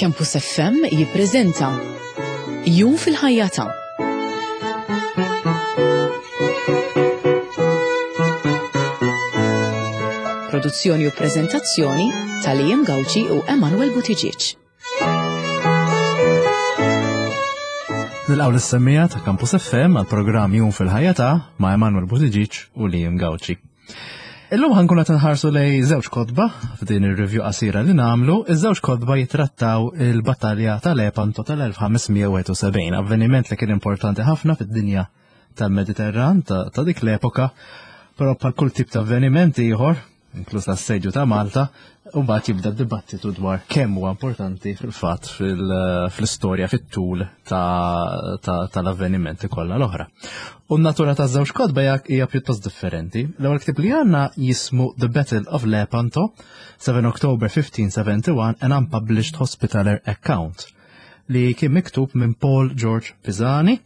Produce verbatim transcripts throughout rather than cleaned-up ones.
Campus F M jippreżenta Jum fil-ħajja ta' Produzzjoni u preżentazzjoni ta' Liam Gauci u Emanuel Buttigieg. Nilqgħu lis-semmiegħa ta' Campus F M għal programm Jum fil-ħajja ta' ma' Emanuel Buttigieg u Liam Gauci. Illum ħa nkunu qed nħarsu lejn żewġ kotba f'din ir-review qasira li nagħmlu. Iż-żewġ kotba jitrattaw il-battalja tal-Lepanto tal-elf ħames mija u wieħed u sebgħin, avveniment li kien importanti ħafna fid-dinja tal-Mediterran ta', ta dik l-epoka, però bħal kull tip ta' avveniment ieħor, inkluż l-assedju ta' Malta, u mbagħad jibda dibattitu dwar kemm huwa importanti fil-fatt fil-istorja fit-tul tal-avvenimenti kollha l-oħra. U n-natura ta' żewġ kotba hija pjuttost differenti. L-ewwel ktieb li għandna jismu The Battle of Lepanto, seven October fifteen seventy-one, an unpublished Hospitaller account, li kien miktub minn Paul George Pisani,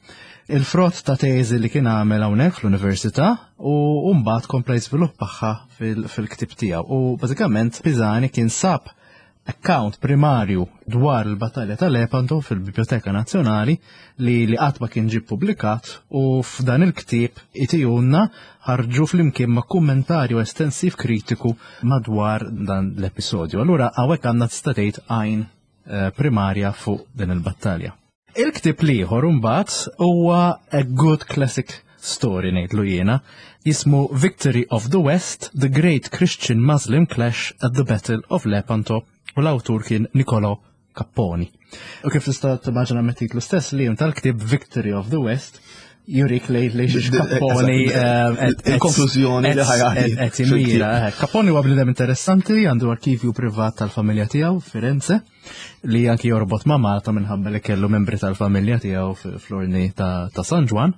il-frott ta' teżi li kien għamel hawnhekk fl-università u mbagħad kompla jiżviluppaha fil-ktib tiegħu. U bażikament Pisani kien sab account primarju dwar il-battalja tal-Lepanto fil-Biblioteka Nazzjonali li li qatt ma kien ġie publikat u f'dan il-ktieb itihulna, ħarġu flimkien ma' kummentarju estensiv kritiku madwar dan l-episodju. Allura hawnhekk għandna, tista' tgħid, għajn eh, primarja fuq din il-battalja. Il-ktieb l-ieħor mbagħad huwa a good classic story, ngħidlu jiena, jismu Victory of the West, The Great Christian Muslim Clash at the Battle of Lepanto, u l-awtur kien Niccolò Capponi. U kif tista' timmaġina mit-titlu stess li tal-ktieb, Victory of the West, jurik lej lej Capponi. Il-konklużjoni li ħa jagħti. Qed imira. Capponi huwa bniedem interessanti, għandu arkivju privat tal-familja tiegħu Firenze li anki jorbot ma' Malta minħabba li kellu membri tal-familja tiegħu fl-ordni ta' San Ġwann.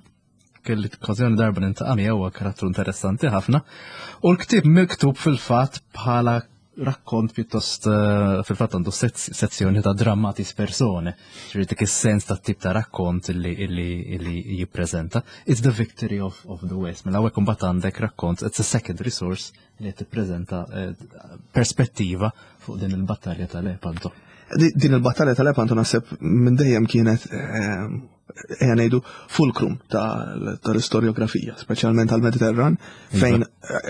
Kelli okkażjoni darba niltaqa' miegħu, huwa karattru interessanti ħafna. U l-ktieb miktub fil-fatt bħala rakkont pjuttost, eh, fil-fatt għandu sezzjoni ta' dramatis persone, ġifieri dik is-sens ta' tip ta' rakkont illi illi illi jippreżenta. It's the victory of, of the West. Mela hawnhekk imbagħad għandek rakkont, it's a secondary source li qed tippreżenta eh, perspettiva fuq din il-battalja tal-Lepanto. Din il-battalja tal-Lepanto naħseb minn dejjem kienet, eh, ejja ngħidu, fulcrum tal-istoriografija, speċjalment tal-Mediterran, fejn eh,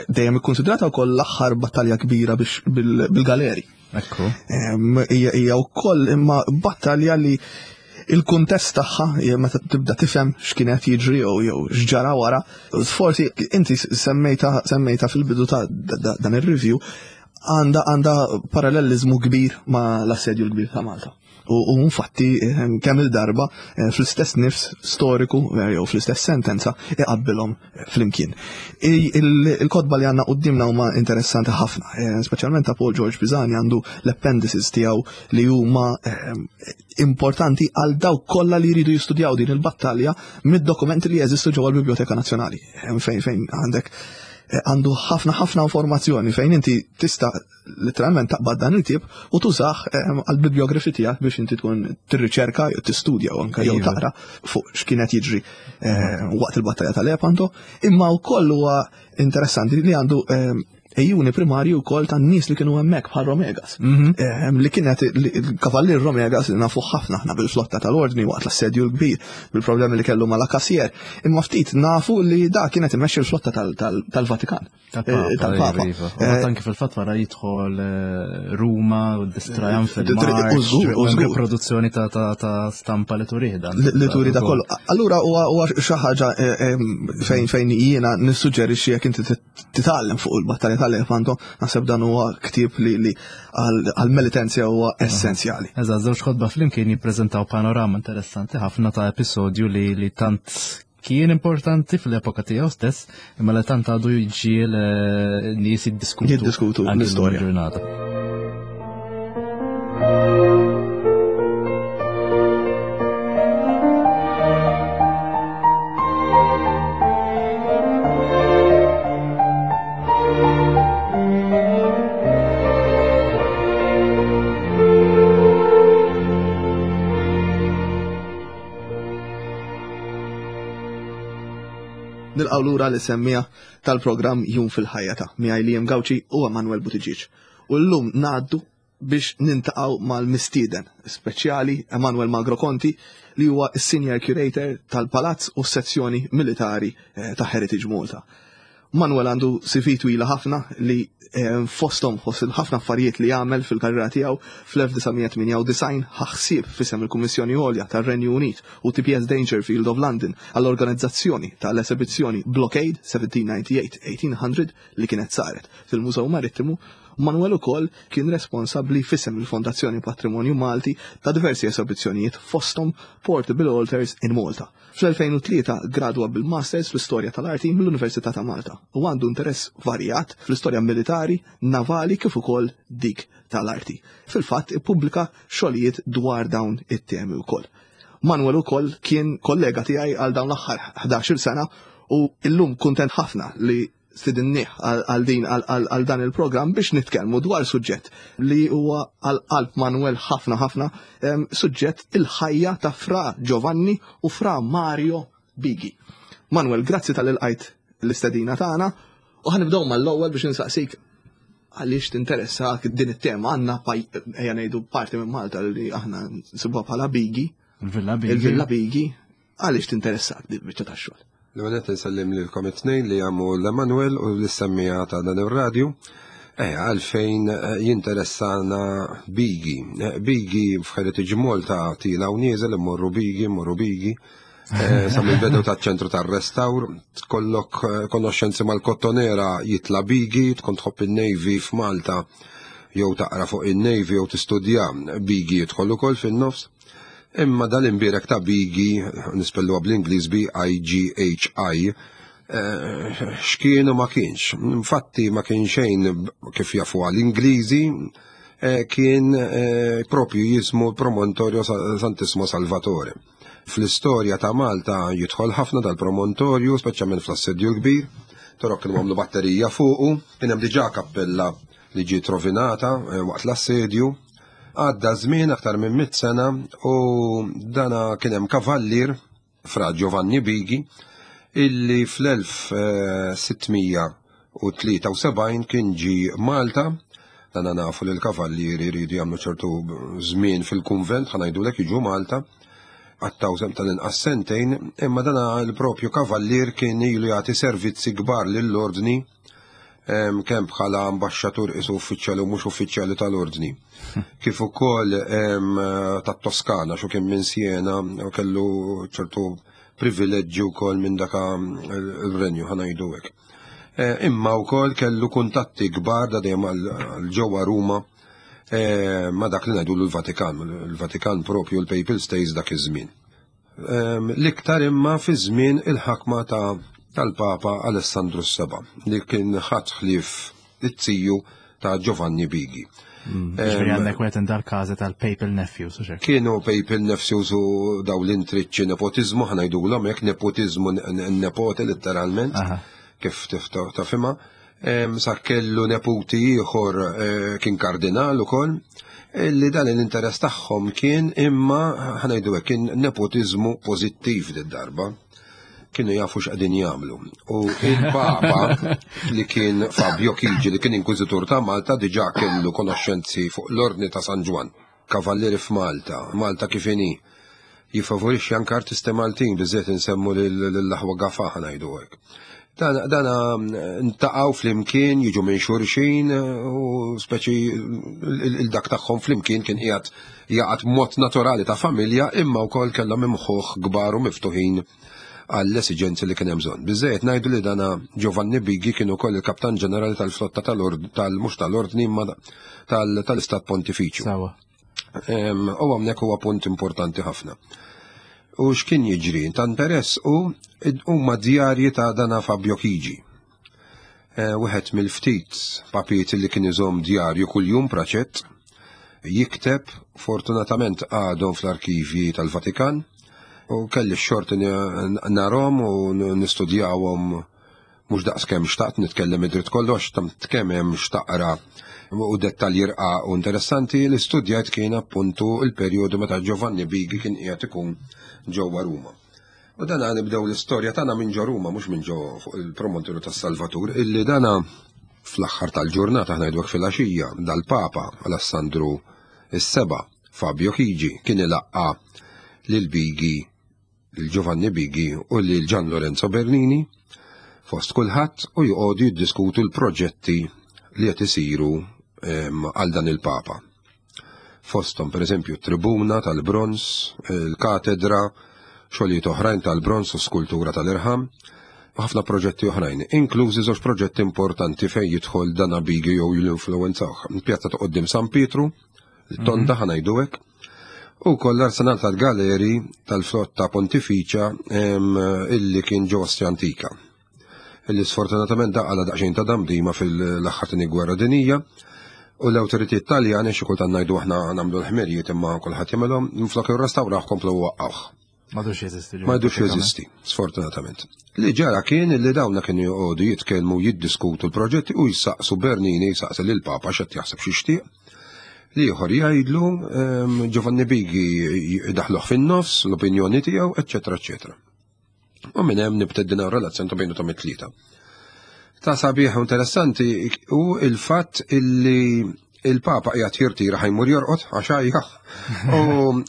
dejjem ikkonsidrata wkoll l-aħħar battalja kbira bil-galeri. Ekku. Hija wkoll imma battalja li il-kuntest tagħha, meta tibda tifhem x'kien qed jiġri jew jew x'ġara wara, forsi inti semmejta semmejta fil-bidu ta' dan ir-review, għandha għandha parallelizmu kbir ma' l-assedju l-kbir ta' Malta. U infatti eh, kemm il-darba eh, fl-istess nifs storiku eh, jew fl-istess sentenza iqabbilhom flimkien. Il-kotba li għandna qudiemna huma interessanti ħafna, speċjalment ta' Paul George Pisani, għandu l-appendices tiegħu li huma importanti għal dawk kollha li jridu jistudjaw din il-battalja mid-dokumenti li jeżistu ġewwa l-Biblioteka Nazzjonali. Fejn fejn għandek għandu ħafna ħafna informazzjoni fejn inti tista' literalment taqbad dan il-ktieb u tużah għal-bibliografi tiegħek biex inti tkun tirriċerka jew tistudja u anke jew Iva. taqra fuq x'kienet jiġri eh, waqt il-battalja tal-Lepanto, imma wkoll huwa interessanti li għandu għejun primarju wkoll tan-nies li kienu hemmhekk bħal Romegas. Mhm. Ehm, li kienet il-kavallier Romegas li nafu ħafna aħna bil-flotta tal-ordni waqt l-assedju l-kbir, bil-problemi li kellu mal-Akassier. Imma ftit nafu li da kienet imexxi l-flotta tal- tal- tal-Vatikan. Tal-Papa, Eh, tal-Papa. iva, iva. U Eh, anki fil-fatt wara jidħol eh, Ruma u this triumphal Eh, march, u żgur, u u hemm żgur. riproduzzjoni ta' ta' ta' stampa li turih dan. Li li turi da kollu. Allura huwa huwa xi ħaġa eh, eh, fejn fejn jiena nissuġġerixxi jekk inti tit- titgħallem fuq il-battalja tal-Lepanto, naħseb dan huwa ktieb li li għal-Melitensja huwa essenzjali. Eżatt, żewġ kotba flimkien jippreżentaw panorama interessanti ħafna ta' episodju li, li tant kien importanti fl-epoka tiegħu stess, imma li tant għadu jġiel eh, nies jiddiskutu. Jiddiskutu anki l-istorja. llum il-ġurnata. Nilqgħu lura lis-semmiegħa tal-programm Jum fil-ħajja ta' miegħi Liam Gauci u Emanuel Buttigieg. U llum ngħaddu Biex niltaqgħu mal-mistieden speċjali Emanuel Magro Conti, li huwa s-Senior Curator tal-Palazz u s-sezzjoni militari eh, ta' Heritage Malta. Manuel għandu C V twila ħafna li eh, fostom fost ħafna affarijiet li għamel fil-karriera tiegħu, fl-elf disa' mija tmienja u disgħin ħa ħsieb f'isem il-Kummissjoni Għolja tar-Renju Unit u T P S Dangerfield of London għall-organizzazzjoni tal-esibizzjoni Blockade seventeen ninety-eight eighteen hundred li kienet saret fil-Mużew Marittimu. Manuel ukoll kien responsabbli f'isem il-Fondazzjoni Patrimonju Malti ta' diversi esibizzjonijiet, fostom Portable Altars in Malta. Fl-elfejn u tlieta gradwa bil-Masters fl-Istorja tal-Arti mill-Università ta' Malta u għandu interess varjat fl-istorja militari, navali kif ukoll dik tal-arti. Fil-fatt ippubblika xogħlijiet dwar dawn it-temi wkoll. Manuel ukoll kien kollega tiegħi għal dawn l-aħħar ħdax-il sena u illum kuntent ħafna li stidinnieh għal din għal dan il-programm biex nitkellmu dwar suġġett li huwa għal qalb Manuel ħafna ħafna, suġġett il-ħajja ta' Fra Giovanni u Fra Mario Bighi. Manuel, grazzi talli lqajt l-istedina tagħna u ħa nibdew mal-ewwel biex insaqsik għaliex tinteressak din it-tema. Għandna, ejja ngħidu, parti minn Malta li aħna nsibuha bħala Bigi. Il-Villa Bigi. Il-Villa Bigi. Għaliex tinteressak din biċċa tax-xogħol? L-għonet nsellim lilkom it-tnejn li għamu l-Emanuel u l-semmija ta' dan il-radju. Eh, għalfejn eh, jinteressana Bigi? Eh, Bigi f'Heritage Malta tiela' u nieżel, immorru Bigi, immorru Bigi. Eh, sa mill-bidu ta' ċentru tar restawr, tkollok konoxxenzi mal-Kottonera jitla Bigi, tkun tħobb il-Navy f'Malta, jew taqra fuq il-Navy jew tistudja Bigi jidħol ukoll fin-nofs. Imma dal-imbirek ta' Bigi, nispellu bl-Ingliż B I G H I, eh, x'kienu ma kienx. Infatti ma kien xejn, kif jafu għal-Ingliżi, eh, kien eh, propju jismu Promontorio Santissimo Salvatore. Fl-istorja ta' Malta jidħol ħafna dal-promontorju, speċjalment fl-Assedju l-Kbir, Torok kienu għamlu batterija fuqu, kien hemm diġà kappella li ġiet rovinata waqt l-assedju. Għadda żmien aktar minn mit sena u dana kien hemm kavallier, Fra Giovanni Bigi, illi fl-elf sitt mija u tlieta u sebgħin kien ġi Malta. Dana nafu li l-kavallieri jridu jagħmlu ċertu żmien fil-kunvent, ħa ngħidulek, jiġu Malta, għattaw sem tal-inqas sentejn, imma dana l-propju kavallier kien ilu jagħti servizzi kbar lill-ordni, kemm bħala ambasċatur isu uffiċjali u mhux uffiċjali tal-ordni. Kif ukoll tat-Toskana, xu kien minn Siena u kellu ċertu privileġġi wkoll minn daka il-renju, ħa ngħidu hekk. E, imma wkoll kellu kuntatti kbar da dejjem għal ġewwa Ruma e, ma dak li ngħidu l-Vatikan, il-Vatikan propju, l-Papal States dak iż-żmien. L-iktar imma fi żmien il-ħakma ta' tal-Papa Alessandru s-Seba', li kien ħadd ħlief it-tiju ta' Giovanni Bigi. Mm, ġifieri għandek wieħed dal-każi tal-Papal Nephews, u Kienu Papal Nephews u daw l-intriċċi, nepotizmu, ħa ngħidulhom hekk, nepotizmu, nepote letteralment, kif tafhimha. Sa kellu neputi ieħor eh, kien kardinal ukoll, li dan l-interess tagħhom kien, imma ħa ngħidu hekk, kien nepotizmu pożittiv darba, kienu jafu x'qegħdin jagħmlu. U il-Papa li kien Fabio Chigi, li kien inkwiżitur ta' Malta, diġà kellu konoxxenzi fuq l-Ordni ta' San Ġwann. Kavallieri f'Malta, Malta kif inhi, jifavorixxi anke artisti Maltin, biżżejjed insemmu lill-aħwa Gafa, ħa ngħidu hekk. Dana ntaqgħu flimkien, jiġu minn xulxin u speċi il-dak tagħhom flimkien kien qiegħed jaqgħad mod naturali ta' familja, imma wkoll kellhom imħuħ kbar u miftuħin għall-esiġenzi li kien hemm bżonn. Biżejjed ngħidu li dana Giovanni Bigi kien ukoll il-Kaptan Ġenerali tal-flotta tal-ord tal mhux tal-ordni imma tal-Istat Pontifiċju. Sawa. U hawnhekk huwa punt importanti ħafna. U x'kien jiġri? Ta' interess u huma djarji ta' dana Fabio Chigi. Eh, wieħed mill-ftit papiet li kien iżomm djarju kuljum praċett jikteb, fortunatament għadhom fl-arkivi tal-Vatikan u kelli x-xorti narahom u nistudjawhom, mhux daqs kemm xtaqt nitkellem id-dritt kollox, tam kemm hemm xtaqra u dettalji rqaq u interessanti. Li studjajt kien appuntu il-perjodu meta Giovanni Bigi kien qiegħed ikun ġewwa Ruma. U dana nibdew l-istorja tagħna minn ġo Ruma, mhux minn ġo fuq il-promontorju tas-Salvatur, illi dana Fl-aħħar tal-ġurnata, ħa ngħidu fil-għaxija, dal-Papa Alessandru is-Seba' Fabio Chigi kien ilaqqa lil Bigi, lil Giovanni Bigi u lil Gian Lorenzo Bernini fost kulħadd u joqogħdu jiddiskutu l-proġetti li qed isiru għal dan il-Papa. Fosthom, per eżempju, tribuna tal-bronz, il-katedra, xogħlijiet oħrajn tal-bronz u skultura tal-irħam, u ħafna proġetti oħrajn, inklużi żewġ proġetti importanti fejn jidħol dana Bigi jew l-influenzawh. Pjazza ta' quddiem San Pietru, il-tonda ħa ngħidu hekk, u koll l-arsenal tal-galeri tal-flotta pontifiċa illi kien ġo Antika. Illi sfortunatament daqqala daqsxejn ta' damdima fil-aħħar Tieni Gwerra Dinija, u l-awtoritajiet Taljani, xi kultant ngħidu aħna nagħmlu l-ħmerijiet imma kulħadd jagħmelhom, minflok irrestawrawh komplu waqqawh. M'għadux jeżisti. M'għadux jeżisti, sfortunatament. Li ġara kien li dawna kienu joqogħdu jitkellmu, jiddiskutu l-proġetti u jisaqsu Bernini, jisaqsi lil Papa x'qed jaħseb, x'jixtieq. Li ieħor jgħidlu, Giovanni Bigi daħluh fin-nofs, l-opinjoni tiegħu, eċċetera, eċċetera. U minn hemm nibtet din relazzjoni ta' bejnu ta' tlieta. Ta' sabiħ interessanti u il-fatt illi il-Papa qiegħed jirtira, ħa jmur jorqod għax għajja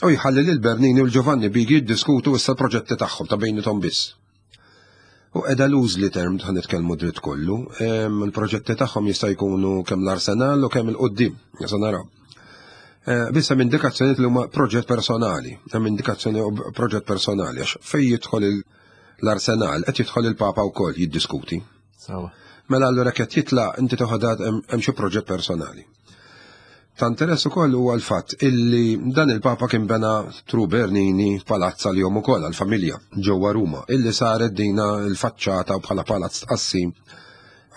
u jħalli lil Bernini u l-Giovanni Bigi jiddiskutu issa l-proġetti tagħhom ta' bejniethom biss. U edha loosely termed, ħa nitkellmu dritt kollu, il-proġetti tagħhom jista' jkunu kemm l-arsenal u kemm il-qoddim, jista' naraw. Eh, Biss hemm indikazzjoni li huma proġett personali, hemm indikazzjoni proġett personali għax fejn jidħol l-arsenal qed jidħol il-Papa wkoll jiddiskuti. Mela allura qed jitla' inti toħodha hemm xi proġett personali. Ta' interess ukoll huwa l-fatt illi dan il-Papa kien bena through Bernini palazz għalihom ukoll, għall-familja, ġewwa Ruma, illi saret dina l-faċċata bħala palazz tqassim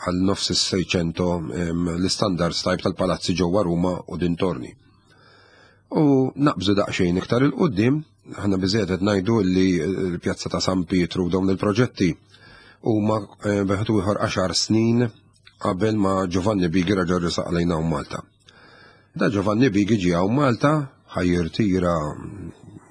għal nofs is-Seicento, l-standards type tal-palazzi ġewwa Ruma u dintorni. U naqbżu daqsxejn iktar il-qoddim, ħana biżejjed qed ngħidu li l-pjazza ta' San Pietru u dawn il-proġetti huma eh, beħtu ieħor għaxar snin qabel ma Giovanni Bigi raġa' resaq lejna Malta. Da Giovanni Bigi ġie hawn Malta, ħa jirtira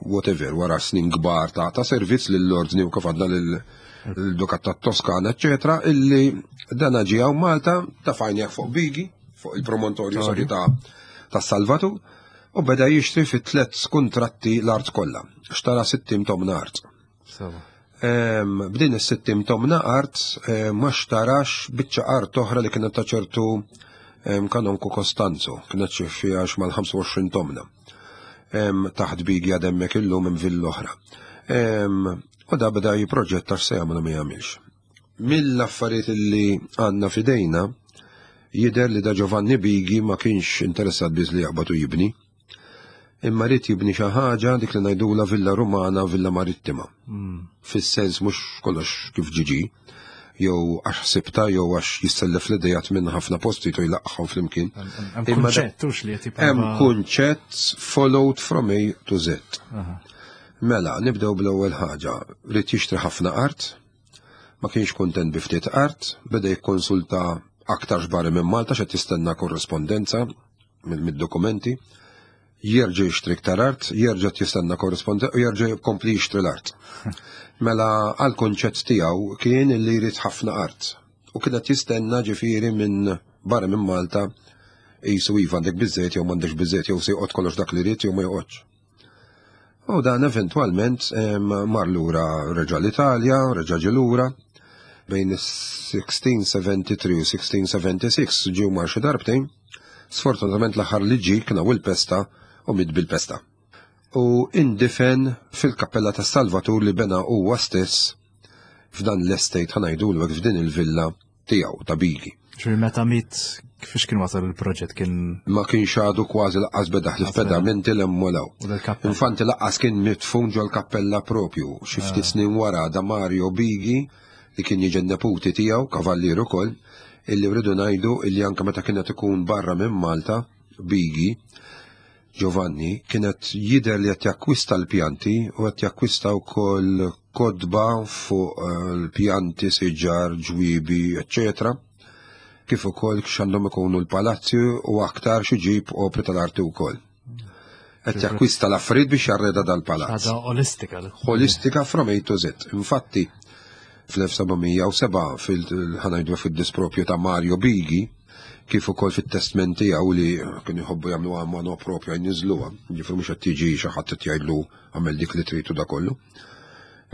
whatever wara snin kbar ta' ta' servizz lill-ordni u kif għadna lill-Dukat ta' Toskana, eccetera, illi dana ġie hawn Malta ta' fajnja fuq Bigi, fuq il-promontorju, sorry, ta' ta' Salvatu, u beda jixtri fi tlet kontratti l-art kollha. Xtara sittin tomna art. B'din is-sittin tomna art ma xtarax biċċa art oħra li kienet ta' ċertu kanonku Costanzo, kienet xi fiha mal-ħamsa u għoxrin tomna. Taħt Bigi għademmek illum hemm villa oħra. U da beda jiproġetta x'se jagħmlu ma jagħmilx. Mill-affarijiet li għandna fidejna jidher li da Giovanni Bigi ma kienx interessat biss li jaqbad u jibni, imma ried jibni xi ħaġa dik li ngħidula villa Rumana, villa marittima. Hmm. Fis-sens mhux kollox kif ġiġi, jew għax ħsibta jew għax jissellef l-idejat minn ħafna posti u jlaqqħu flimkien. Hemm kunċett li qed Hemm kunċett followed from A to Z. Mela, nibdew bl-ewwel ħaġa, ried jixtri ħafna art, ma kienx kontent bi ftit art, beda jikkonsulta aktar xbari minn Malta x'qed jistenna korrespondenza mid-dokumenti, jerġa' jixtri iktar art, jerġa' jistenna korrespondenza u jerġa' jkompli jixtri l-art. Mela għal konċett tiegħu kien li jrid ħafna art. U kienet jistenna ġifieri minn barra minn Malta jisu iva għandek biżejjed jew m'għandekx biżejjed jew se joqgħod kollox dak li jrid jew ma joqgħodx. U dan eventwalment mar lura, reġa' l-Italja, reġa' ġie lura bejn sixteen seventy-three u sixteen seventy-six, ġew mar xi darbtejn. Sfortunatament l-aħħar li ġie kien il-pesta u miet bil-pesta. U indifen fil-kappella ta' Salvatur li bena huwa stess f'dan l-estate, ħa ngħidu f'din il-villa tiegħu ta' Bigi. Ġifieri meta miet kifix kien wasal il-proġett kien Ma kienx għadu kważi laqqas beda ħlief pedamenti l-emmolaw. Infatti laqqas kien mitfun ġol kappella propju. Xi ftit ah. snin wara da Mario Bigi li kien jiġi neputi tiegħu, kavallier ukoll, illi rridu ngħidu illi anke meta kienet ikun barra minn Malta, Bigi, Giovanni, kienet jider li qed jakkwista l-pjanti u qed jakkwista wkoll kotba fuq eh, l-pjanti, siġar, ġwibi, eccetera. Kif ukoll x'għandhom ikunu l-palazzi u aktar xi ġib opri tal-arti wkoll. Qed jakkwista l-affarijiet biex jarreda dal-palazz. Ħaġa olistika. Holistika from A to Z. Infatti, fl-elf seba' mija u sebgħa fil-ħa ngħidu fid-dispropju ta' Mario Bigi, Kif ukoll fit-testment tiegħu li kienu jħobbu jagħmlu mano propja jniżluha, ġifieri mhux qed tiġi xi ħadd qed jgħidlu għamel dik li tridu da kollu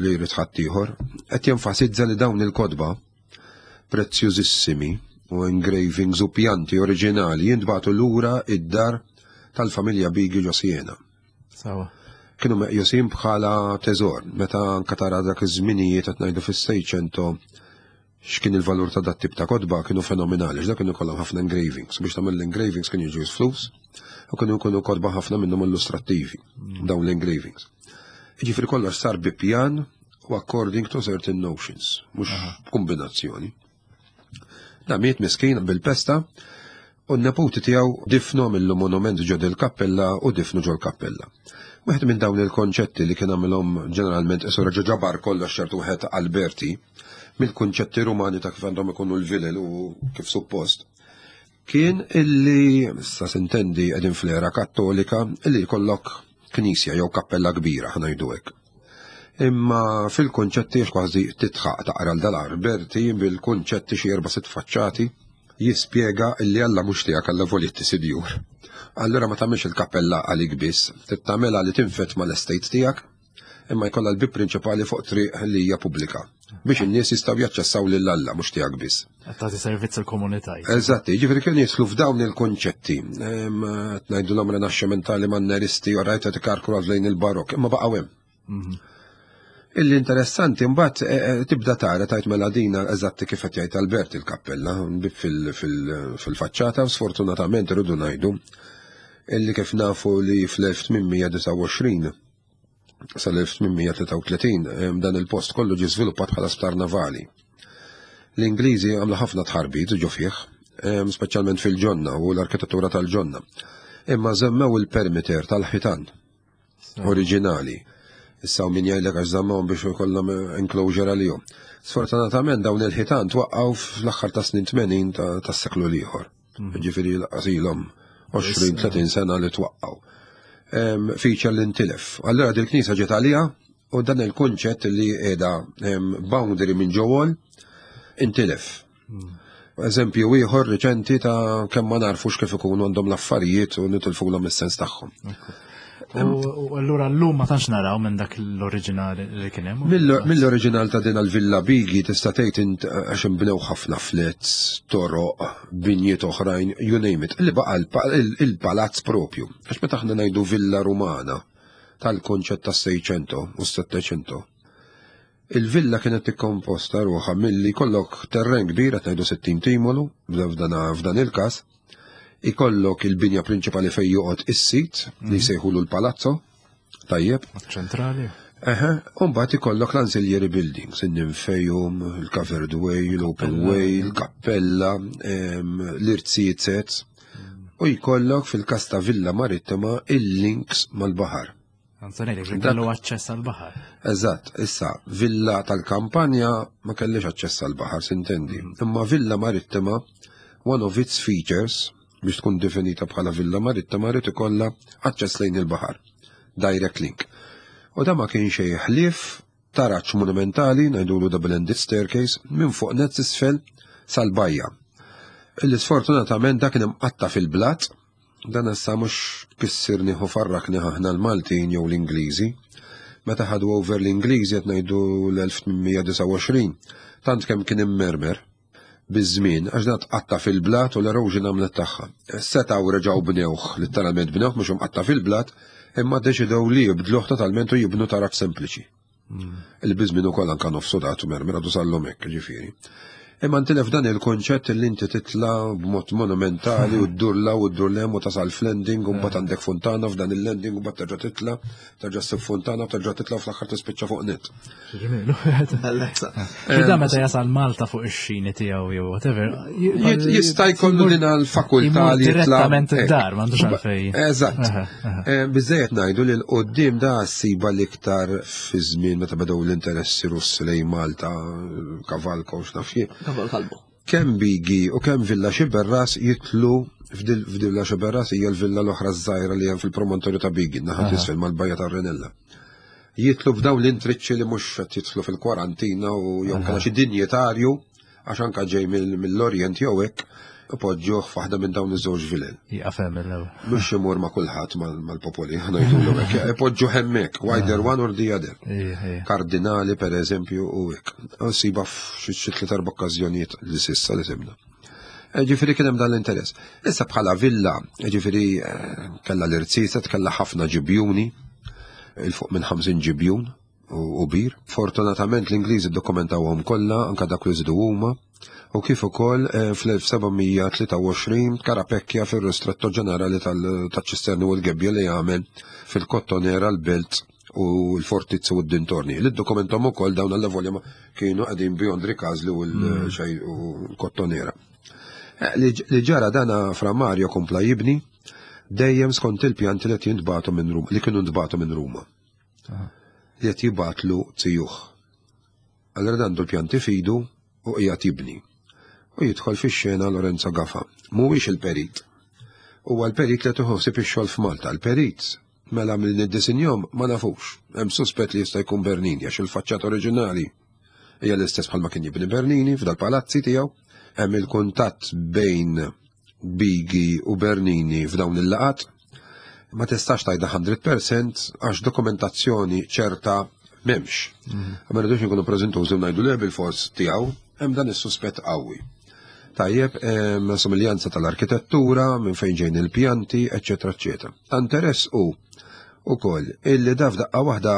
li jrid ħadd ieħor, qed jenfasizza li dawn il-kotba prezzjużissimi u engravings u pjanti oriġinali jintbagħtu lura id-dar tal-familja Bigi ġo Siena. Sawa. Kienu meqjusin bħala teżor, meta anka tara dak iż-żminijiet qed ngħidu fis-Seicento x'kien il-valur ta' dat tip ta' kotba kienu fenomenali, x'dak kienu kollhom ħafna engravings, biex tagħmel l-engravings kienu jiġu flus u kienu jkunu kotba ħafna minnhom illustrattivi dawn l-engravings. Jiġifieri kollox sar bi pjan u according to certain notions, mhux kombinazzjoni. Da miet miskin bil-pesta u n-neputi tiegħu difnu mill monument ġo il-kappella u difnu ġol kappella. Wieħed minn dawn il-konċetti li kien għamilhom ġeneralment isu reġa' ġabar kollox ċertu wieħed Alberti mill-kunċetti rumani ta' kif għandhom ikunu l-vilel u kif suppost. Kien illi, sa sintendi qegħdin fl-era kattolika, illi jkollok knisja jew kappella kbira ħa ngħidu hekk. Imma fil-konċetti kważi titħaq taqra l-dal-Alberti bil-konċetti xi erba' sitt faċċati jispjega illi Alla mhux tiegħek alla volitti sidjur. Allura ma tagħmilx il-kappella għalik biss, tagħmilha li tinfet mal-estate tiegħek, imma jkollha l-bib prinċipali fuq triq li hija pubblika biex in-nies jistgħu jaċċessaw lil Alla mhux tiegħek biss. Tagħti servizz il-komunità. Eżatti, ġifieri kienu jidħlu f'dawn il-konċetti. Ngħidu l rinaxximentali manneristi u rajta tikarkru lejn il-barok, imma baqgħu hemm. Illi interessanti mbagħad eh, eh, tibda tara tajt mela dina eżatti kif qed jgħid Albert il-kappella fil-faċċata u sfortunatament irridu ngħidu illi kif nafu li fl-elf tmien mija disgħa u għoxrin sal-elf tmien mija tlieta u tletin dan il-post kollu ġie żviluppat bħala sptar navali. L-Ingliżi għamlu ħafna tħarbit ġo fih, speċjalment fil-ġonna u l-arkitettura tal-ġonna. Imma żemmew il-perimeter tal-ħitan oriġinali. Issa min jgħidlek għax żammhom biex ikollhom enclosure għalihom. Sfortunatament dawn il-ħitan twaqqgħu fl-aħħar ta' snin tmenin tas-seklu l-ieħor. Mhm. Ġifieri l-qasilhom għoxrin tletin sena li twaqqgħu. Feature li ntilef. Allura dil-knisja ġiet għalija u dan il-kunċett li qiegħda boundary minn ġewwol intilef. Mhm. Eżempju ieħor riċenti ta' kemm ma narfux kif ikunu għandhom l-affarijiet u nitilfulhom is-sens tagħhom. U allura llum ma tantx naraw minn dak l-oriġinali li kien hemm. Mill-oriġinal ta' din il-Villa Bigi tista' tgħid għax inbnew ħafna flats, toroq, binjiet oħrajn, you name it, li baqa' il-palazz propju. Għax meta aħna ngħidu Villa Rumana tal-konċett tas-Seicento u s-Settecento. Il-villa kienet tikkomposta ruħha milli kollok terren kbir qed ngħidu sittin timolu f'dan il-każ, ikollok il-binja prinċipali fej joqgħod is-sit li mhm. jsejħulu l-palazzo, tajjeb. Ċentrali. Eħe, u mbagħad ikollok l-ancillary buildings, il-nymphaeum, il-covered way, l-open way, il-kappella, l-irziezet, u jkollok fil-kas ta' Villa Marittima il-links mal-baħar. Anzonelli, kellu aċċess għal-baħar. Eżatt, issa, villa tal-kampanja ma kellix aċċess għal-baħar, sintendi. Mm. Imma Villa Marittima, one of its features, biex tkun definita bħala Villa Marittima, rrid ikollha aċċess lejn il-baħar. Direct link. U da ma kien xejn ħlief taraċ monumentali, ngħidulu double-ended staircase, minn fuq nett isfel sal-bajja. Illi sfortunatament dak kien imqatta fil-blat, dan issa mhux kissirni u farrakni aħna l-Maltin jew l-Ingliżi. Meta ħadu over l-Ingliżi qed ngħidu l-elf tmien mija disgħa u għoxrin, tant kemm kien immermer biż-żmien għax dan tqatta fil-blat u l-erosion għamlet tagħha. Setgħu reġgħu bnewh, letteralment bnewh mhux imqatta fil-blat, imma deċidew li jibdluh totalment u jibnu taraġ sempliċi. Il-biżmin ukoll anka nofsu datu mermer għadu sallum hekk, ġifieri. Imma ntilef dan il-konċett li inti titla b'mod monumentali u ddurla u ddur lem u tasal f'landing u mbagħad għandek fontana f'dan il-landing u mbagħad terġa' titla, terġa' ssib fontana u terġa' titla u fl-aħħar tispiċċa fuq net. Ġemilu. Da meta jasal Malta fuq ix-xini tiegħu jew whatever. Jista' jkollu din l-fakultà li jitla. Direttament id-dar, m'għandux għalfej. Eżatt. Eh, Biżejjed ngħidu li l-qoddim da ssiba l-iktar fi żmien meta bedew l-interessi Russi lejn Malta, Kavalko u x'naf jien. Kaval kalbu. Kemm Bigi u kemm Villa Xiberras jitlu f'Villa Xiberras hija l-villa l-oħra żgħira li hemm fil-promontorju ta' Bigi, naħa t'isfel mal-bajja tar-Renella. Jitlu f'dawn l-intriċċi li mhux qed jitlu fil-kwarantina u jew kellha xi dinjitarju għax anka ġej mill-Orient jew hekk Ipoġġuh f'waħda minn dawn iż-żewġ vilel. Jieqaf hemm l-ewwel. Mhux imur ma' kulħadd mal-popoli, ngħidulu hekk. Ipoġġuh hemmhekk, either one or the other. Ija, ija. Kardinali per eżempju u hekk. Siba f'xi xi tliet erba' okkażjonijiet li s'issa li sibna. Eh, Ġifieri kien hemm dan l-interess. Issa bħala villa, ġifieri eh, kellha l-irziezet, kellha ħafna ġibjuni, 'il fuq minn ħamsin ġibjun u u bir. Fortunatament l-Ingliżi ddokumentawhom kollha, anka dak li żidu huma, u kif ukoll eh, fl-elf seba' mija tlieta u għoxrin Carapecchia fir-Ristretto Ġenerali tal-Ċisterni u l-Gebbja li għamel fil-Kottonera, l-Belt u l-Fortizza u d-dintorni. Li ddokumentom ukoll dawn l-volja kienu qegħdin beyond Ricasoli u l- u l-Kottonera. Eh, Li li ġara dana, Fra Mario kompla jibni dejjem skont il-pjanti li qed jintbagħtu minn Ruma, li kienu ntbagħtu minn Ruma. Li qed jibgħatlu zijuh. Allora dan għandu l-pjanti f'idu u qiegħed jibni. U jidħol fix-xena Lorenzo Gafa. Mhuwiex il-perit. Huwa l-perit li tieħu ix-xogħol f'Malta. Il-perit mela mill niddisinjom ma nafux. Hemm suspett li jista' jkun Bernini, għax il-faċċata oriġinali hija l-istess bħalma kien jibni Bernini f'dal-palazzi tiegħu. Hemm il-kuntatt bejn Bigi u Bernini f'dawn il-laqat. Ma tistax tgħidha mija fil-mija għax dokumentazzjoni ċerta m'hemmx. Ma rridux nkunu preżentużi u ngħidu li bil-fors tiegħu, hemm dan is-suspett qawwi. Tajjeb, hemm somiljanza tal-arkitettura, minn fejn ġejn il-pjanti, eċetera, eċetera. Ta' interess u ukoll illi da f'daqqa waħda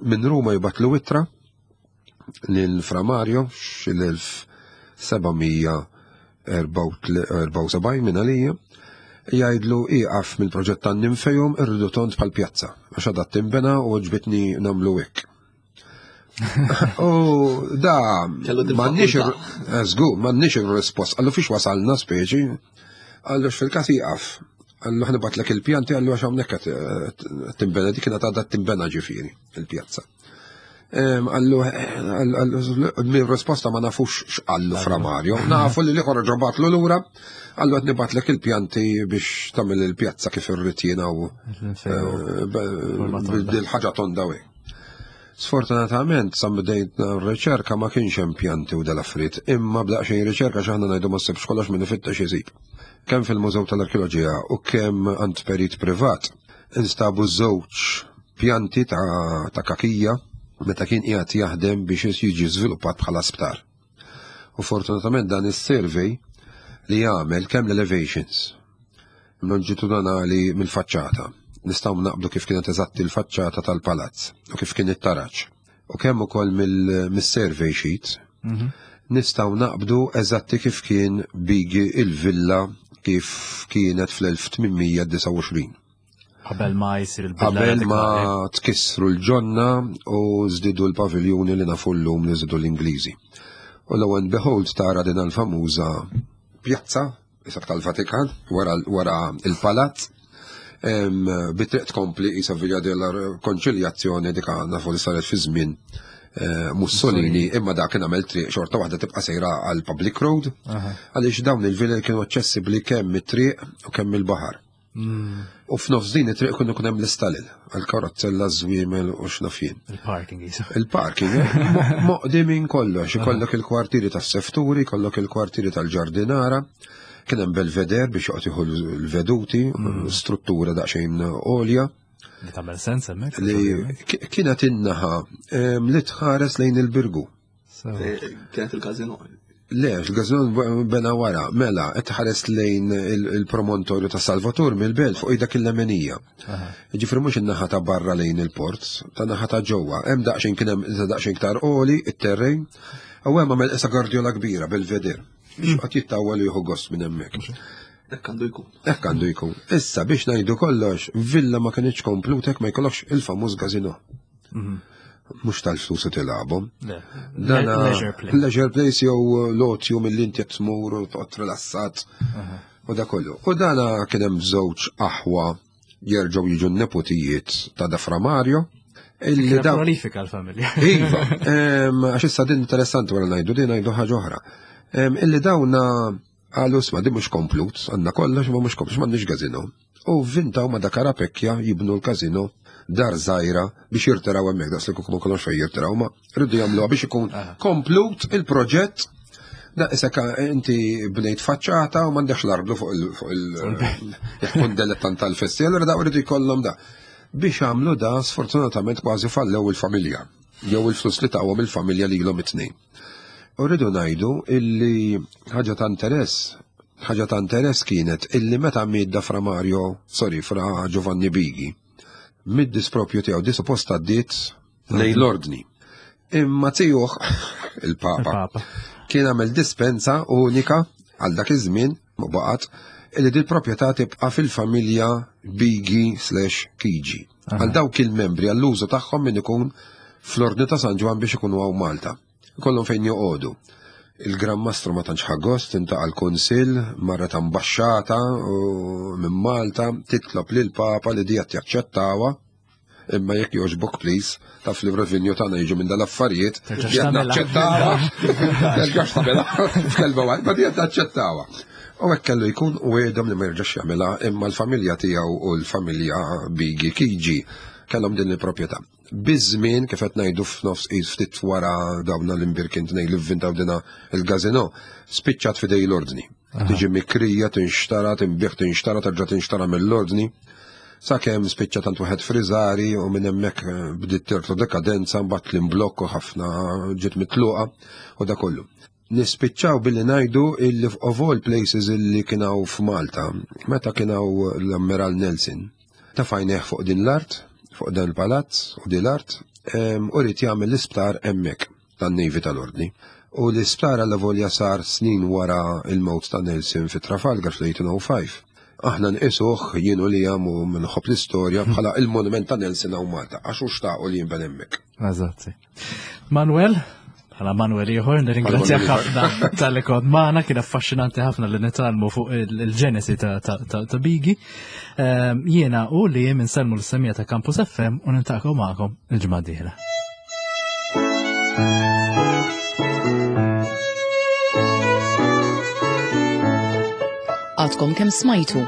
minn Ruma jibgħatlu ittra lil Fra Mario xil-elf seba' mija erbgħa u sebgħin minn għalija, jgħidlu iqaf mill-proġett tan-Ninfejum, irridu tond bħal pjazza għax għadha timbena u ġbitni nagħmlu hekk. U da Kellu din m'għandniex fakultà. Żgur, m'għandniex ir-rispost. Qallu fiex wasalna speċi, qallu fil-każ iqaf. Qallu ħa nibgħatlek il-pjanti, qallu għax hawnhekk qed timbena, dik kienet għadha timbena ġifieri il-pjazza. Em, Qallu, qallu, mir-risposta ma nafux x'qallu Fra Mario. Nafu li l-ieħor ġobatlu lura, qallu qed nibgħatlek il-pjanti biex tagħmel il-pjazza kif irrid jiena u bil-ħaġa tonda u hekk. Sfortunatament, sa bdejt r-riċerka ma kienx hemm pjanti u dal-affarijiet, imma b'daqsxejn riċerka, x'aħna ngħidu ma ssibx kollox, minn ifittex isib. Kemm fil-Mużew tal-Arkeoloġija u kemm għand perit privat, instabu żewġ pjanti ta', ta Cachia meta kien qiegħed jaħdem biex jiġi żviluppat bħala sptar. U fortunatament dan is-survey li jagħmel kemm l-elevations longitudinali mill-faċċata. Nistgħu naqbdu kif kienet eżatti l-faċċata tal-palazz u kif kien it-taraġ. U kemm ukoll mill-survey sheet nistgħu naqbdu eżatti kif kien Bigi il-villa kif kienet fl-elf tmien mija disgħa u għoxrin. Qabel ma jsir il-bidla Qabel ma radikali. tkissru l-ġonna u żdidu l-paviljuni li nafu llum li żidu l-Ingliżi. U lo and behold tara din l-famuża pjazza, isak tal-Vatikan, wara, wara il-palazz, em, bitriq tkompli isa Via della Konċiljazzjoni, dik nafu li saret fi żmien eh, Mussolini, imma dak kien għamel triq xorta waħda tibqa' sejra għal public road, għaliex dawn il-vilel kienu aċċessibbli kemm mit-triq u kemm il-baħar. U f'nofs din it-triq kienu kun hemm l-istalel, għal-karozzella, żwiemel u x'naf jien. Il-parking jisa. Il-parking, eh, mo- moqdi minn kollox, ikollok il-kwartieri tas-sefturi, ikollok il-kwartieri tal-ġardinara, kien hemm belveder biex joqgħod jieħu l-veduti, struttura daqsxejn għolja, Li tagħmel sens hemmhekk. li ki- kienet in-naħa em, li tħares lejn il-Birgu. So, Eh, Kienet il-kazino. Le, il-gazon bena wara, mela, qed tħares lejn il- il-promontorju ta' Salvatur mill-belt fuq dak il-lemenija. Ġifri mhux in-naħa ta' barra lejn il-port, ta' naħa ta' ġewwa. Hemm daqsxejn kien hemm iżda daqsxejn iktar għoli it-terrejn, u hemm għamel isa gardiola kbira belveder. Biex qatt jittawwal u jieħu gost minn hemmhekk. Hekk għandu jkun. Hekk għandu jkun. Issa biex ngħidu kollox, villa ma kienx komplutek ma jkollokx il-famuż gazino. Mhux tal-flus u tilgħabhom. Le. Dana Leisure play. Leisure place jew lotju mill inti tmur u toqgħod rilassat u da kollu. U dana kien hemm żewġ aħwa jerġgħu jiġu n-nepotijiet ta' da Fra Mario. Illi Kienet da prolifika l-familja. Iva, em, għax issa din interessanti wara ngħidu din ngħidu ħaġa oħra. Em, Illi dawna qalu isma' din mhux komplut, għandna kollox ma mhux komplut, m'għandniex gazino. U vintaw ma da Carapecchia jibnu l-kazino dar żgħira biex jirtiraw hemmhekk, daqs li kieku ma kellhomx fejn jirtiraw, ma rridu jagħmluha biex ikun komplut il-proġett Da isek inti bnejt faċċata u m'għandekx l-arblu fuq il- fuq il- jekk dilettant tal-festi, allura da rridu jkollhom da. Biex għamlu da, sfortunatament kważi fallew il-familja, jew il-flus li tawhom il-familja li ilhom it-tnejn. U rridu ngħidu illi ħaġa ta' interess, ħaġa ta' interess kienet illi meta miet da Fra Mario, sorry, Fra Giovanni Bighi, mid-dispropju tiegħu di suppost għaddiet lejn l-ordni. Imma tiegħu il-Papa Il-Papa. kien għamel dispensa unika għal dak iż-żmien u baqgħet illi dil proprjetà tibqa' fil-familja Bighi slash Chigi. Għal dawk il-membri għall-użu tagħhom min ikun fl-ordni ta' San Ġwann biex ikunu hawn Malta. Ikollhom fejn joqogħdu. Il-Gran Mastru ma tantx ħa gost intaqa' l-Kunsill, marret ambaxxata u minn Malta titlob lil Papa li di qed jaċċettawha. Imma jekk jogħġbok please, taf li revenju tagħna jiġu minn dal-affarijiet, Terġax di qed tagħmilha. naċċettawha. Terġax tagħmilha f'kelba waħda, ma di qed naċċettawha. U hekk kellu jkun u għedhom li ma jerġax jagħmilha, imma l-familja tiegħu u l-familja Bighi Chigi kellhom din il-proprjetà. Biż-żmien kif qed ngħidu f'nofs qis ftit wara dawna l-imbirkin tnejn li vvintaw dina il-gazino, spiċċat f'idej l-ordni. Tiġi mikrija, tinxtara, tinbigħ, tinxtara, terġa' tinxtara mill-ordni. Sakemm spiċċa tant wieħed Frizzari u minn hemmhekk eh, bdiet tirtlu dekadenza, mbagħad l-imblokk u ħafna ġiet mitluqa u da kollu. Nispiċċaw billi ngħidu illi of all places illi kien hawn f'Malta, meta kien hawn l-Ammiral Nelson, tafajnieh fuq din l-art, fuq dan il-palazz u din l-art, em, u ried jagħmel l-isptar hemmhekk tan-Navy tal-Ordni. U l-isptar alla volja sar snin wara il-mewt ta' Nelson fi Trafalgar fl-eighteen oh five. Aħna nqisuh jien u li u minħobb l-istorja bħala il-monument ta' Nelson hawn Malta, għax hu xtaqu li jinben hemmhekk. Eżatt. Manuel, bħala Manuel ieħor, nirringrazzjak Bħala Manuel ħafna talli kont magħna, kien affaxxinanti ħafna li nitgħallmu fuq il- il-ġenesi ta' ta' ta' ta' Bighi. Ehm, Jiena u li jien insellmu l-semmiegħa ta' Campus F M u niltaqgħu magħkom il-ġimgħa d-dieħla. Għadkom kemm smajtu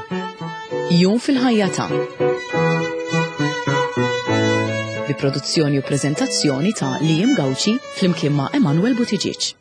Jum fil-ħajja ta' bi produzzjoni u preżentazzjoni ta' Liam Gauci flimkien ma' Emanuel Buttigieg.